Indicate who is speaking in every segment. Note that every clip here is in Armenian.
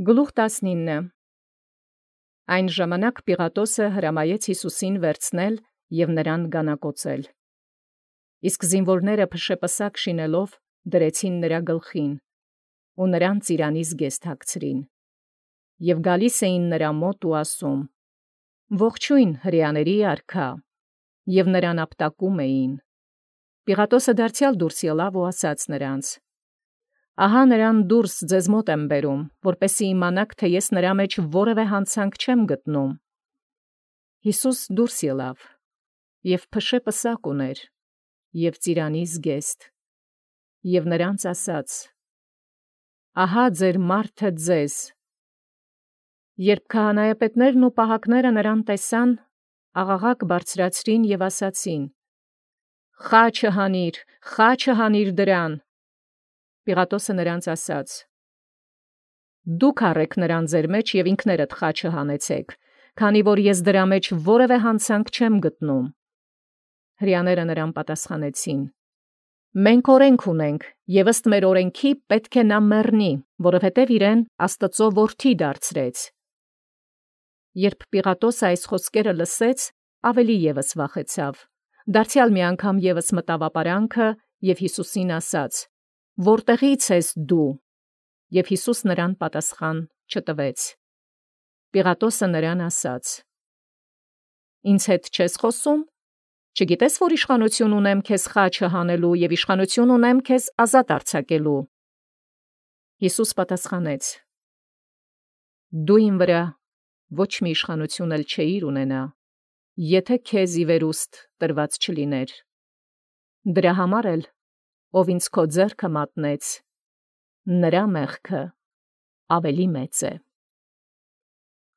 Speaker 1: Գլուխ 19 Այն ժամանակ Պիղատոսը հրամայեց Յիսուսին վերցնել և նրան գանակոծել։ Իսկ զինվորները փշեպսակ շինելով դրեցին նրա գլխին, ու նրան ծիրանից գեստ հագցրին։ Եվ գալիս էին նրա մոտ ու ասում. «Ողջույն հրեաների արքա», և նրան ապտակում էին։ Պիղատոսը դարձյալ դուրս ելավ ու ասաց նրանց. «Ահա նրան դուրս ձեզ մոտ եմ բերում, որպեսզի իմանաք, թե ես նրա մեջ որևէ հանցանք չեմ գտնում»։ Յիսուս դուրս ելավ, և փշեպսակ ուներ, և ծիրանից գեստ, և նրանց ասաց. «Ահա ձեր մարդը ձեզ»։ Երբ քահանայապետներն ու պահակները նրան տեսան, աղաղակ բարձրացրին և ասացին. «Խաչը հանիր դրան»։ Պիղատոսը նրանց ասաց. «Դուք առէք նրան ձեր մեջ և ինքներդ խաչը հանեցեք, քանի որ ես դրա մեջ որևէ հանցանք չեմ գտնում»։ Հրեաները նրան պատասխանեցին. «Մենք օրենք ունենք, և ըստ մեր օրենքի պետք է նա մեռնի, որովհետև իրեն Աստծու որդի դարձրեց»։ Երբ Պիղատոսը այս խոսքերը լսեց, ավելի ևս վախեցավ, դարձյալ մի անգամ ևս մտավ ապարանքը և Յիսուսին ասաց. «Որտեղի՞ց ես դու»։ Եվ Յիսուս նրան պատասխան չտվեց։ Պիղատոսը նրան ասաց. «Ինձ հետ չես խոսում. չգիտես, որ իշխանություն ունեմ քեզ խաչը հանելու և իշխանություն ունեմ քեզ ազատ արձակելու»։ Յիսուս պատասխանեց. «Դու իմ վրա ոչ մի իշխանություն էլ չէիր ունենա, եթե քեզ ի վերուստ տրված չլիներ։ Դրա համար էլ, ով ինձ քո ձեռքը մատնեց, նրա մեղքը ավելի մեծ է»։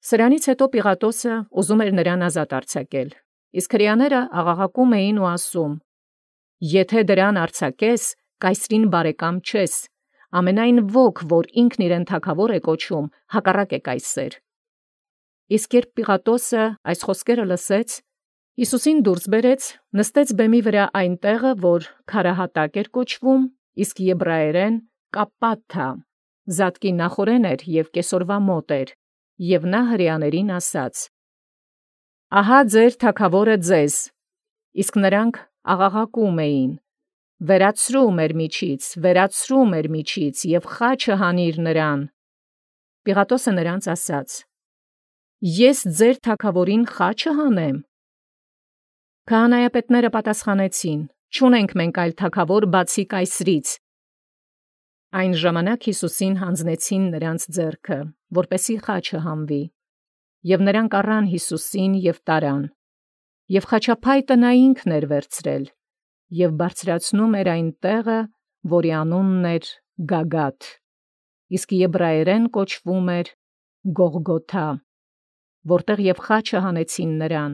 Speaker 1: Սրանից հետո Պիղատոսը ուզում էր նրան ազատ արձակել, իսկ հրեաները աղաղակում էին ու ասում. «Եթե դրան արձակես, կայսրին բարեկամ չես, ամենայն ոք, որ ինքն իրեն թագավոր է կոչում, հակառակ է կայսեր»։ Իսկ երբ Պիղատոսը այս խոսքերը լսեց, Յիսուսին դուրս բերեց, նստեց բեմի վրա այն տեղը, որ քարահատակ էր կոչվում, իսկ եբրայերեն Կապպաթա, զատկի նախօրեն էր և կեսօրվա մոտ էր, և նա հրեաներին ասաց. «Ահա ձեր թագավորը ձեզ»։ Իսկ նրանք աղաղակում էին. «Վերացրու մեր միջից, և խաչը հանիր նրան»։ Պիղատոսը նրանց ասաց. «Ես ձեր թագավորին խաչը հանեմ»։ Քահանայապետները պատասխանեցին. «Չունենք մենք այլ թագավոր բացի կայսրից»։ Այն ժամանակ Յիսուսին հանձնեցին նրանց ձեռքը, որպեսզի խաչը հանվի, և նրանք առան Յիսուսին և տարան, և խաչափայտը նա ինքն էր վերցրել, և բարձրացնում էր այն տեղը, որի անունն էր Գագաթ, իսկ եբրայերեն կոչվում էր Գողգոթա, որտեղ և խաչը հանեցին նրան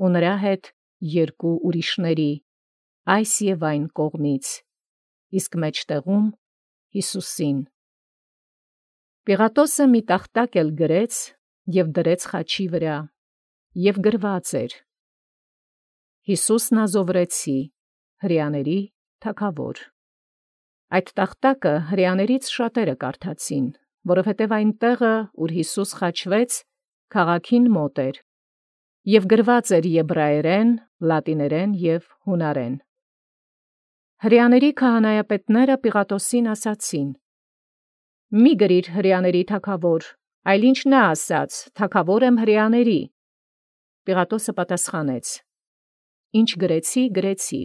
Speaker 1: ու նրա հետ երկու ուրիշների, այս և այն կողմից, իսկ մեջտեղում Յիսուսին։ Պիղատոսը մի տախտակ էլ գրեց և դրեց խաչի վրա, և գրված էր. «Յիսուս Նազովրեցի, հրեաների թագավոր»։ Այդ տախտակը հրեաներից շատերը կարդացին, որովհետև այն տեղը, ուր Յիսուս խաչվեց, քաղաքին մոտ էր, և գրված էր եբրայերեն, լատիներեն և հունարեն։ Հրեաների քահանայապետները Պիղատոսին ասացին. «Մի գրիր հրեաների թագավոր, այլ ինչ նա ասաց. թագավոր եմ հրեաների»։ Պիղատոսը պատասխանեց. «Ինչ գրեցի, գրեցի»։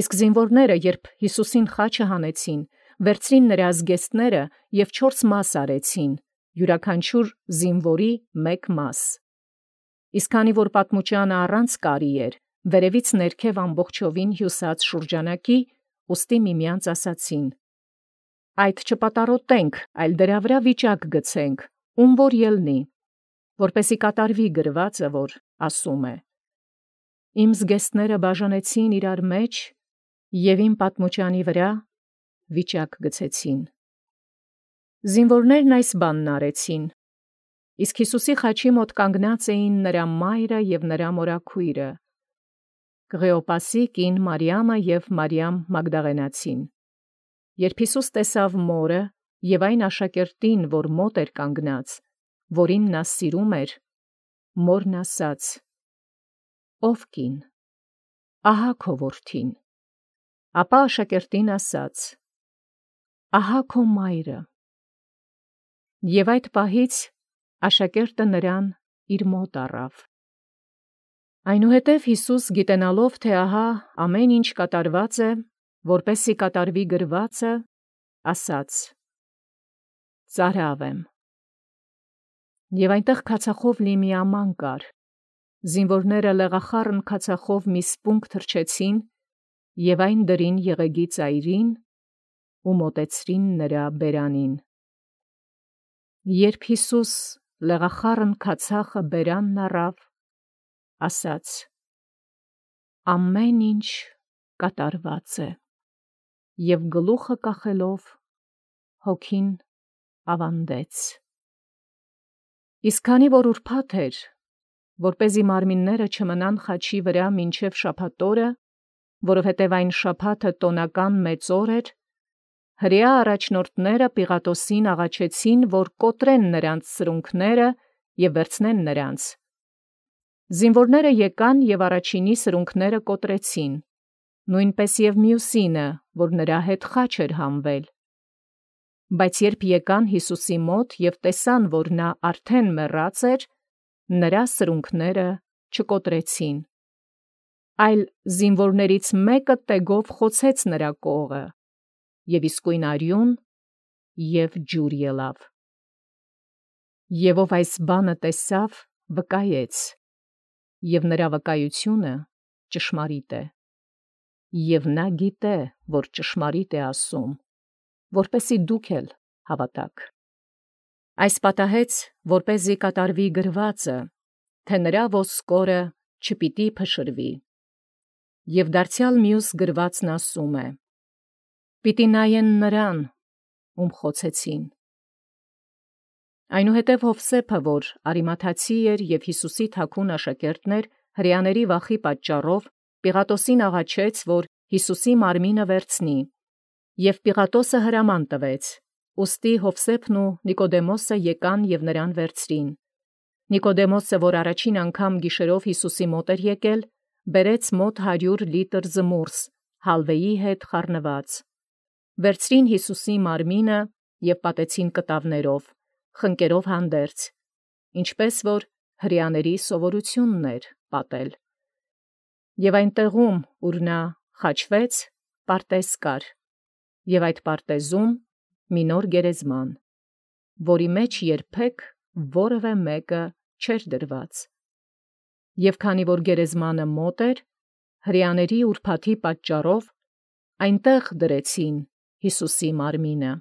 Speaker 1: Իսկ զինվորները, երբ Յիսուսին խաչը հանեցին, վերցրին նրա զգեստները և 4 մաս արեցին, յուրաքանչյուր զինվորի 1 մաս։ Իսկ քանի որ պատմուճանը առանց կարի էր, վերևից ներքև ամբողջովին հյուսած շուրջանակի, ուստի միմյանց ասացին. «Այդ չպատառոտենք, այլ դրա վրա վիճակ գցենք, ում որ ելնի, որպեսզի կատարվի գրվածը, որ ասում է. «Իմ զգեստները բաժանեցին իրար մեջ և իմ պատմուճանի վրա վիճակ գցեցին»։ Զինվորներն այս բանն արեցին, իսկ Յիսուսի խաչի մոտ կանգնած էին նրա մայրը և նրա մորաքույրը, Կղեոպասի կին Մարիամը և Մարիամ Մագդաղենացին։ Երբ Յիսուս տեսավ մորը եւ այն աշակերտին, որ մոտ էր կանգնած, որին նա սիրում էր, մորն ասաց. «Ով կին, ահա քո որդին»։ Ապա աշակերտին ասաց. «Ահա քո մայրը»։ Եւ այդ պահից աշակերտը նրան իր մոտ առավ։ Այնուհետև Յիսուս գիտենալով, թե ահա ամեն ինչ կատարված է, որպեսզի կատարվի գրվածը, ասաց. «Ծարավ եմ»։ Եվ այնտեղ քացախով լի մի աման կար։ Զինվորները լեղախառն քացախով մի սպունգ թռչեցին եւ այն դրին եղեգի ծայրին ու մոտեցրին նրա բերանին։ Երբ Յիսուս լեղախառն քացախը բերանն առավ, ասաց. «Ամեն ինչ կատարված է», եւ գլուխը կախելով հոգին ավանդեց։ Իսկ քանի որ ուրբաթ էր, որպեսզի մարմինները չմնան խաչի վրա մինչև շաբաթ օրը, որովհետև այն շաբաթը տոնական մեծ օր էր, հրեա առաջնորդները Պիղատոսին աղաչեցին, որ կոտրեն նրանց սրունքները եւ վերցնեն նրանց։ Զինվորները եկան եւ առաջինի սրունքները կոտրեցին, նույնպես եւ մյուսինը, որ նրա հետ խաչ էր հանվել։ Բայց երբ եկան Յիսուսի մոտ եւ տեսան, որ նա արդեն մեռած էր, նրա սրունքները չկոտրեցին։ Այլ զինվորներից մեկը տեգով խոցեց նրա կողը, եւ իսկույն արյուն եւ ջուր ելավ։ Եվ ով այս բանը տեսավ, վկայեց, եւ նրա վկայությունը ճշմարիտ է։ Եվ նա գիտե, որ ճշմարիտ է ասում, որպեսզի դուք էլ հավատաք։ Այս պատահեց, որպեսզի կատարվի գրվածը, թե նրա ոսկորը չպիտի փշրվի։ Եվ դարձյալ մյուս գրվածն ասում է. «Պիտի նայեն նրան, ում խոցեցին»։ Այնուհետև Յովսեփը, որ Արիմաթացի էր եւ Յիսուսի թագուն աշակերտն էր, հրեաների վախի պատճառով Պիղատոսին աղաչեց, որ Յիսուսի մարմինը վերցնի, եւ Պիղատոսը հրաման տվեց։ Ուստի Յովսեփն ու Նիկոդեմոսը եկան եւ նրան վերցրին։ Նիկոդեմոսը, որ առաջին անգամ գիշերով Յիսուսի մոտ էր եկել, բերեց մոտ 100 լիտր զմուրս, հալվեի հետ խառնված։ Վերցրին Յիսուսի մարմինը եւ պատեցին կտավներով, խնկերով հանդերձ, ինչպես որ հրեաների սովորությունն էր պատել։ Եւ այն տեղում, ուր նա խաչվեց, պարտեզ կար, եւ այդ պարտեզում մի նոր գերեզման, որի մեջ երբեք որևէ մեկը չէր դրված։ Եվ քանի որ գերեզմանը մոտ էր, հրեաների ուրբաթի պատճառով այնտեղ դրեցին Յիսուսի մարմինը։